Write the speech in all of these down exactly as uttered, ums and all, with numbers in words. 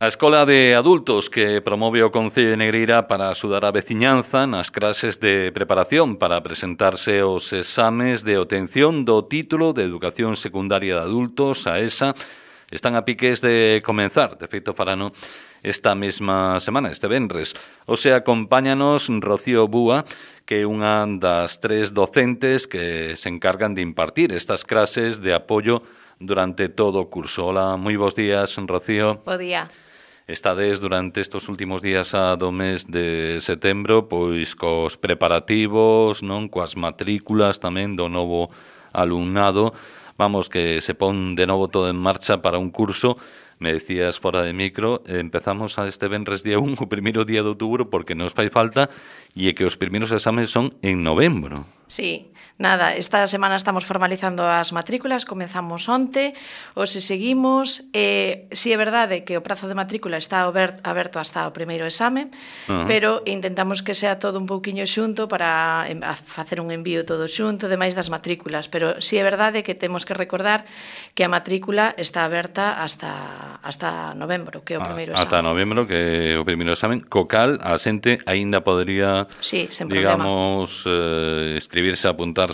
A Escola de Adultos que promove o Concello de Negreira para axudar a veciñanza nas clases de preparación para presentarse aos exames de obtención do título de Educación Secundaria de Adultos, a ESA, están a piques de comenzar. De feito, farano esta mesma semana, este venres. O sea, acompáñanos Rocío Búa, que é unha das tres docentes que se encargan de impartir estas clases de apoio durante todo o curso. Hola, moi bons días, Rocío. Bo día. Estades durante estes últimos días do mes de setembro pois cos preparativos, non, coas matrículas tamén do novo alumnado. Vamos, que se pon de novo todo en marcha para un curso. Me decías fora de micro, empezamos a este venres día un, o primeiro día de outubro, porque nos fai falta, e é que os primeiros exames son en novembro. Sí, nada, esta semana estamos formalizando as matrículas, comenzamos onte, hoxe seguimos, e si é verdade que o prazo de matrícula está aberto hasta o primeiro exame, uh-huh. pero intentamos que sea todo un pouquiño xunto para facer un envío todo xunto, demais das matrículas, pero si é verdade que temos que recordar que a matrícula está aberta hasta, hasta novembro, que é o primeiro exame. Hasta novembro, que é o primeiro examen, co cal a xente aínda podría, sí, digamos, eh, escribirse, apuntarse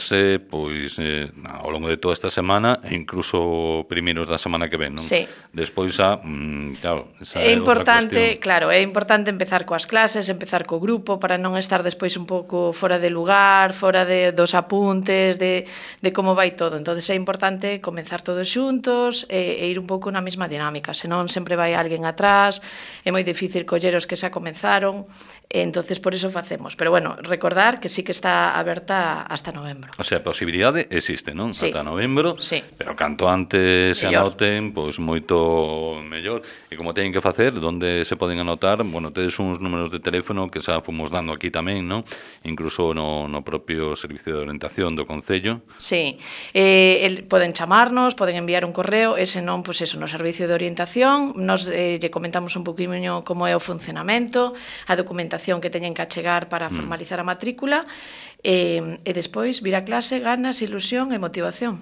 pois eh, ao longo de toda esta semana e incluso primeiros da semana que ven, non? Sí. Despois a, mm, claro, esa é é importante, claro, é importante empezar coas clases, empezar co grupo para non estar despois un pouco fora de lugar, fora de dos apuntes, de, de como vai todo. Entonces é importante comenzar todos xuntos e, e ir un pouco na mesma dinámica, senón sempre vai alguén atrás, é moi difícil coller os que xa comenzaron, e entonces por eso facemos. Pero bueno, recordar que sí que está aberta hasta novembro. O sea, a posibilidade existe, non? Sí. Ata novembro, sí. pero canto antes se mellor. anoten, pois moito mellor. E como teñen que facer, onde se poden anotar, bueno, tedes uns números de teléfono que xa fomos dando aquí tamén, non? Incluso no, no propio Servicio de Orientación do Concello. Sí, eh, el, poden chamarnos, poden enviar un correo, ese non, pois eso, no Servicio de Orientación, nos eh, lle comentamos un poquinho como é o funcionamento, a documentación que teñen que achegar para formalizar a matrícula, E, e despois vir a clase, ganas, ilusión e motivación.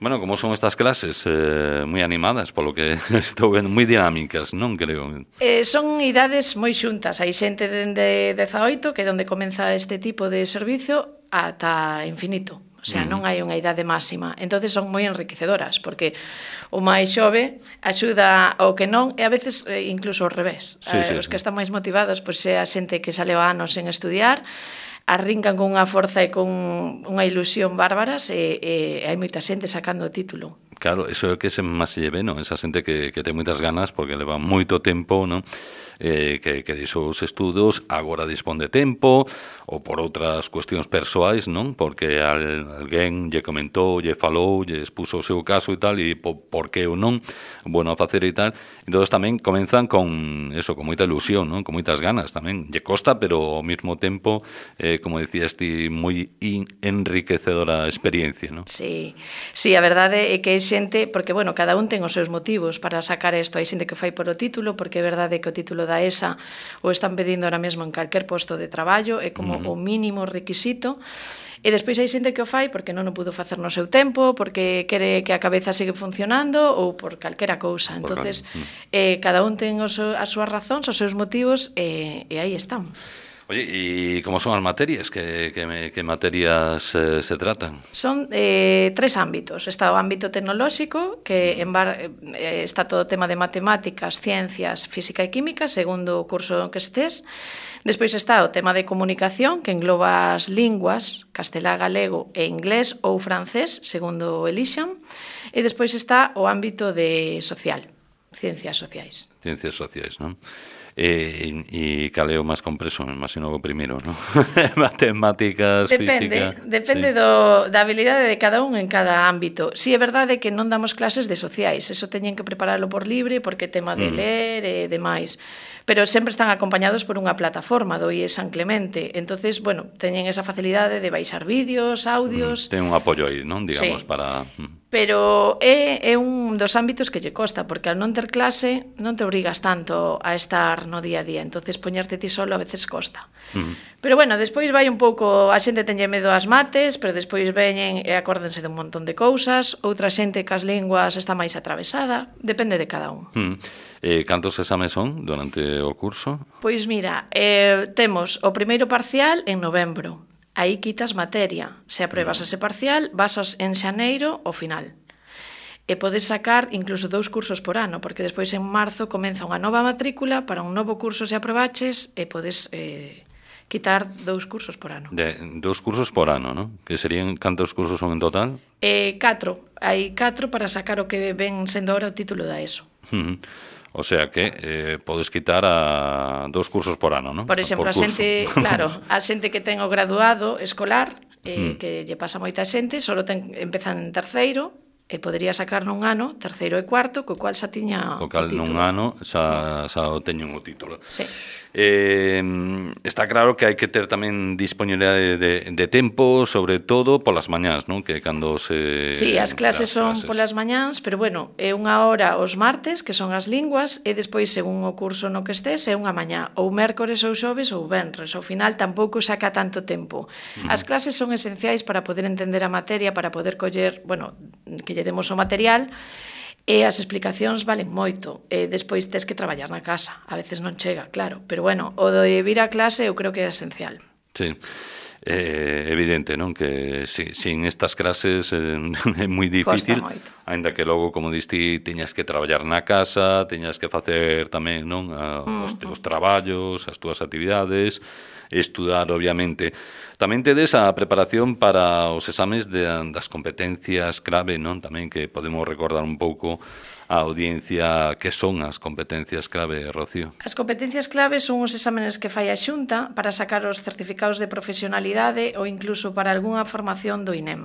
Bueno, como son estas clases eh, moi animadas, polo que estou vendo, moi dinámicas, non creo? Eh, son idades moi xuntas, hai xente dende dezaoito, que é onde comeza este tipo de servicio, ata infinito. O sea, non hai unha idade máxima. Entonces son moi enriquecedoras, porque o máis xove axuda ao que non, e a veces incluso ao revés. Sí, sí, eh, os sí. que están máis motivados, pois é a xente que xa leva anos en estudiar, arrincan con unha forza e con unha ilusión bárbaras, e, e hai moita xente sacando o título. Claro, eso é o que se máis se lleve, non? Esa xente que, que ten moitas ganas porque leva moito tempo, non? Eh, que, que dixo os estudos, agora dispón de tempo, ou por outras cuestións persoais, non? Porque al, alguén lle comentou, lle falou, lle expuso o seu caso e tal, e po, por que ou non, bueno, a facer e tal. Entón tamén comenzan con eso, con moita ilusión, non? Con moitas ganas tamén. Lle costa, pero ao mesmo tempo, eh, como decías ti, moi enriquecedora experiencia, non? Sí, sí, a verdade é que hai xente, porque, bueno, cada un ten os seus motivos para sacar isto. Hai xente que fai por o título, porque é verdade que o título da ESA o están pedindo ahora mesmo en calquer posto de traballo, é como uh-huh. o mínimo requisito. E despois hai xente que o fai porque non o pudo facer no seu tempo, porque quere que a cabeza sigue funcionando ou por calquera cousa. Entonces, eh, cada un ten os, as súas razóns, os seus motivos, e, e aí están. Oye, ¿y cómo son as materias? Que, que, que materias eh, se tratan? Son eh, tres ámbitos. Está o ámbito tecnolóxico, que en bar, eh, está todo o tema de matemáticas, ciencias, física e química, segundo o curso que estés. Despois está o tema de comunicación, que engloba as linguas, castelá, galego e inglés ou francés, segundo o elixan. E despois está o ámbito de social, ciencias sociais. Ciencias sociais, non? E, e cal é o máis compreso? Me imagino o primeiro, non? Matemáticas, depende, física... Depende sí. do, da habilidade de cada un en cada ámbito. Si é verdade que non damos clases de sociais, eso teñen que prepararlo por libre, porque tema de mm. ler e demais. Pero sempre están acompañados por unha plataforma do I E San Clemente. Entonces, bueno, teñen esa facilidade de baixar vídeos, audios... Mm. Ten un apoio aí, non? Digamos, sí. para... pero é, é un dos ámbitos que lle costa, porque al non ter clase non te obrigas tanto a estar no día a día, entonces poñerte ti solo a veces costa. Uh-huh. Pero bueno, despois vai un pouco, a xente tenlle medo ás mates, pero despois veñen e acórdense de un montón de cousas, outra xente que as linguas está máis atravesada, depende de cada un. Uh-huh. Eh, cantos exames son durante o curso? Pois mira, eh, temos o primeiro parcial en novembro. Aí quitas materia. Se apruebas ese parcial, vas en xaneiro ao final. E podes sacar incluso dous cursos por ano, porque despois en marzo comeza unha nova matrícula para un novo curso se aprobaches e podes eh, quitar dous cursos por ano. De, dous cursos por ano, non? Que serían, cantos cursos son en total? Eh, catro. Hai catro para sacar o que ven sendo ahora o título da ESO. Uh-huh. O sea que eh, podes quitar a dos cursos por ano, non? Por exemplo, por a xente, claro, a xente que ten o graduado escolar, eh, hmm. que lle pasa moita xente, só ten, empezan en terceiro, e podería sacar nun ano, terceiro e cuarto, co cual xa tiña o cal o título. Nun ano xa, xa o teñen o título. Sí. Eh, está claro que hai que ter tamén disponibilidade de, de tempo, sobre todo polas mañás, non? Que cando se... Sí, as clases son clases. Polas mañás, pero bueno, é unha hora os martes, que son as linguas, e despois, según o curso no que estés, é unha mañá, ou mércores ou xoves ou venres. Ao final tampouco saca tanto tempo. Uh-huh. As clases son esenciais para poder entender a materia, para poder coller, bueno, que lle demos o material, e as explicacións valen moito, e despois tes que traballar na casa, a veces non chega, claro, pero bueno, o de vir a clase eu creo que é esencial. Sí, é evidente, non? Que si, sin estas clases eh, é moi difícil, aínda que logo, como diste, teñas que traballar na casa, teñas que facer tamén, non? A, uh-huh. os teus traballos, as túas actividades, estudar, obviamente. Tamén tedes a preparación para os exames de, das competencias clave, non? Tamén que podemos recordar un pouco a audiencia que son as competencias clave, Rocío. As competencias clave son os exámenes que fai a Xunta para sacar os certificados de profesionalidade ou incluso para algunha formación do I N E M.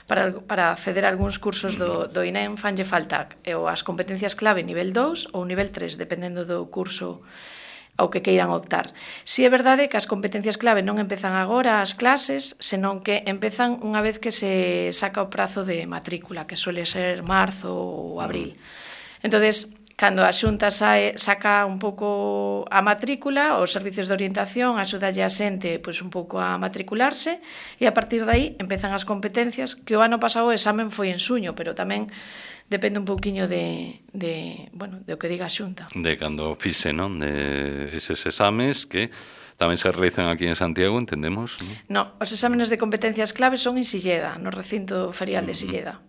Para, para acceder a algúns cursos do, do I N E M fanlle falta ou as competencias clave nivel dous ou nivel tres, dependendo do curso ao que queiran optar. Si é verdade que as competencias clave non empezan agora as clases, senón que empezan unha vez que se saca o prazo de matrícula, que suele ser marzo ou abril. Entonces, cando a Xunta sae, saca un pouco a matrícula, os servicios de orientación axudalle a xente pois, un pouco a matricularse, e a partir de aí empezan as competencias, que o ano pasado o examen foi en suño, pero tamén depende un pouquiño de, de, bueno, de o que diga a Xunta. De cando fixe, non? De eses exames que tamén se realizan aquí en Santiago, entendemos? Non, os exámenes de competencias clave son en Silleda, no recinto ferial de Silleda.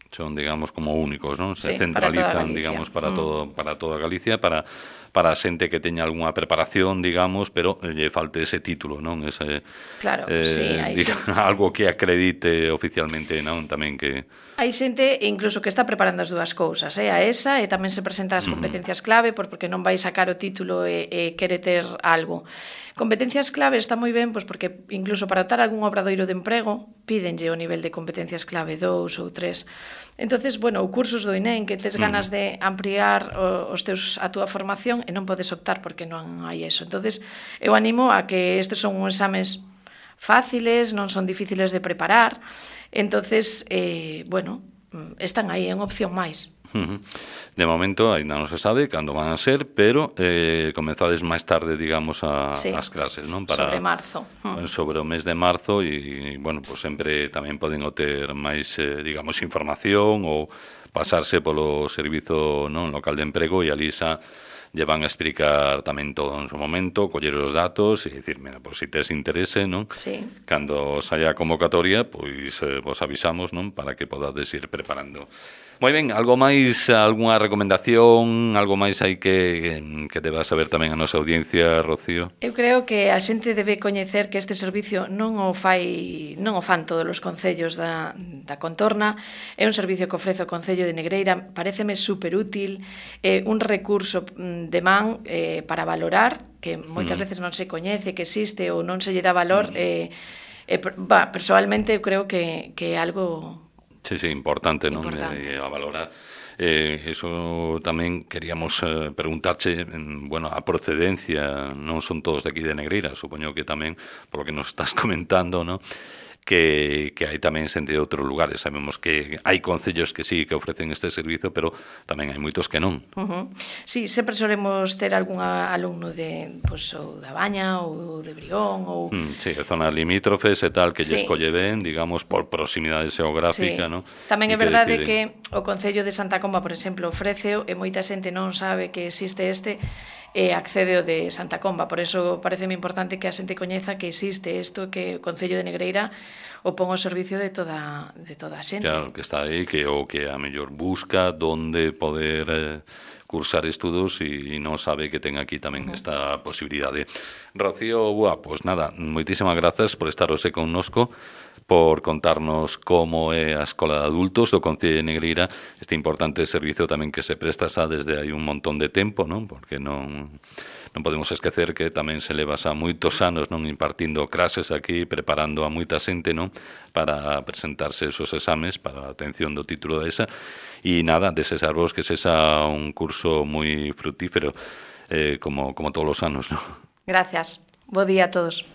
Son, digamos, como únicos, non? Se sí, centralizan, para digamos, para, mm. todo, para toda Galicia, para para a xente que teña algunha preparación, digamos, pero lle falte ese título, non? Ese, claro, eh, sí, hai digamos, sí. Algo que acredite oficialmente, non? Tamén que... Hai xente incluso que está preparando as dúas cousas, eh? A esa, e tamén se presenta as competencias clave, porque non vai sacar o título e, e quere ter algo. Competencias clave está moi ben, pois porque incluso para optar algún obradoiro de emprego, pídenlle o nivel de competencias clave dous ou tres. Entonces, bueno, o cursos do I N E M que tes ganas de ampliar os teus, a túa formación e non podes optar porque non hai eso. Entonces, eu animo a que estes son uns exames fáciles, non son difíciles de preparar. Entonces, eh, bueno, están aí en opción máis. De momento, ainda non se sabe cando van a ser, pero eh, comenzades máis tarde, digamos, a, sí, as clases, non? Para, sobre marzo. Sobre o mes de marzo e, bueno, pues sempre tamén poden obter máis, eh, digamos, información ou pasarse polo servizo, non, local de emprego e ali xa lle van a explicar tamén todo en su momento, coller os datos e dicir, mira, pois, se tes interese, non? Sí. Cando saia a convocatoria, pois eh, vos avisamos, non? Para que podades ir preparando. Moi ben, algo máis, algunha recomendación, algo máis hai que, que deba saber tamén a nosa audiencia, Rocío? Eu creo que a xente debe coñecer que este servicio non o fai, non o fan todos os concellos da, da contorna, é un servicio que ofrece o Concello de Negreira, paréceme superútil, é un recurso de man eh, para valorar, que moitas mm. veces non se coñece, que existe ou non se lle dá valor, mm. eh, eh, bah, personalmente eu creo que, que é algo... Sí, sí, importante, non? Importante. Eh, a valorar. Eh, eso tamén queríamos eh, preguntarche, bueno, a procedencia, non son todos de aquí de Negreira, supoño que tamén, polo que nos estás comentando, non? que, que hai tamén xente de outros lugares. Sabemos que hai concellos que sí que ofrecen este servizo, pero tamén hai moitos que non. Uh-huh. Sí, sempre solemos ter algún alumno de, pues, ou da Baña ou de Brión ou... Mm, sí, zonas limítrofes e tal, que sí. lle escolle ben, digamos, por proximidade xeográfica, sí. ¿no? Tamén é verdade que o Concello de Santa Comba, por exemplo, ofreceo e moita xente non sabe que existe este e accede o de Santa Comba. Por eso pareceme importante que a xente coñeza que existe isto, que o Concello de Negreira o pon ao servicio de toda, de toda a xente. Claro, que está aí, que o que a mellor busca donde poder eh, cursar estudos e non sabe que ten aquí tamén uh-huh. esta posibilidade. Rocío, buah, pues nada, moitísimas grazas por estar hoxe connosco, por contarnos como é a Escola de Adultos do Concello de Negreira, este importante servizo tamén que se presta xa desde hai un montón de tempo, non? Porque non... non podemos esquecer que tamén se leva xa moitos anos non impartindo clases aquí, preparando a moita xente non para presentarse esos exames para a obtención do título da ESA e nada, desexarvos que sexa un curso moi frutífero eh, como, como todos os anos, non? Gracias. Bo día a todos.